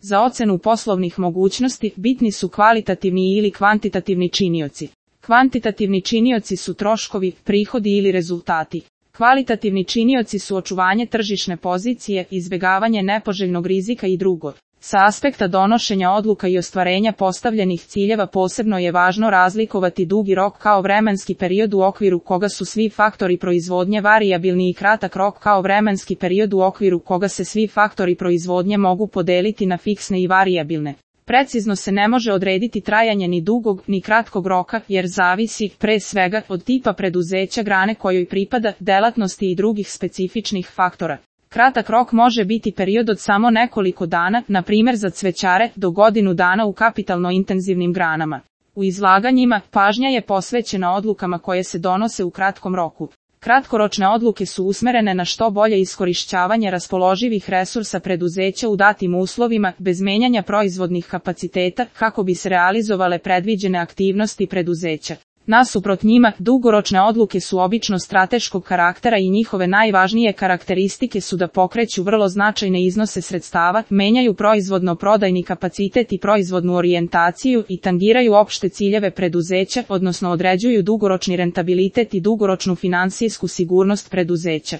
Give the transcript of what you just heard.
Za ocenu poslovnih mogućnosti bitni su kvalitativni ili kvantitativni činioci. Kvantitativni činioci su troškovi, prihodi ili rezultati. Kvalitativni činioci su očuvanje tržišne pozicije, izbjegavanje nepoželjnog rizika i drugo. Sa aspekta donošenja odluka i ostvarenja postavljenih ciljeva posebno je važno razlikovati dugi rok kao vremenski period u okviru koga su svi faktori proizvodnje varijabilni i kratak rok kao vremenski period u okviru koga se svi faktori proizvodnje mogu podeliti na fiksne i varijabilne. Precizno se ne može odrediti trajanje ni dugog ni kratkog roka jer zavisi, pre svega, od tipa preduzeća, grane kojoj pripada, delatnosti i drugih specifičnih faktora. Kratak rok može biti period od samo nekoliko dana, na primjer za cvećare, do godinu dana u kapitalno intenzivnim granama. U izlaganjima, pažnja je posvećena odlukama koje se donose u kratkom roku. Kratkoročne odluke su usmerene na što bolje iskorišćavanje raspoloživih resursa preduzeća u datim uslovima, bez menjanja proizvodnih kapaciteta, kako bi se realizovale predviđene aktivnosti preduzeća. Nasuprot njima, dugoročne odluke su obično strateškog karaktera i njihove najvažnije karakteristike su da pokreću vrlo značajne iznose sredstava, menjaju proizvodno-prodajni kapacitet i proizvodnu orijentaciju i tangiraju opšte ciljeve preduzeća, odnosno određuju dugoročni rentabilitet i dugoročnu finansijsku sigurnost preduzeća.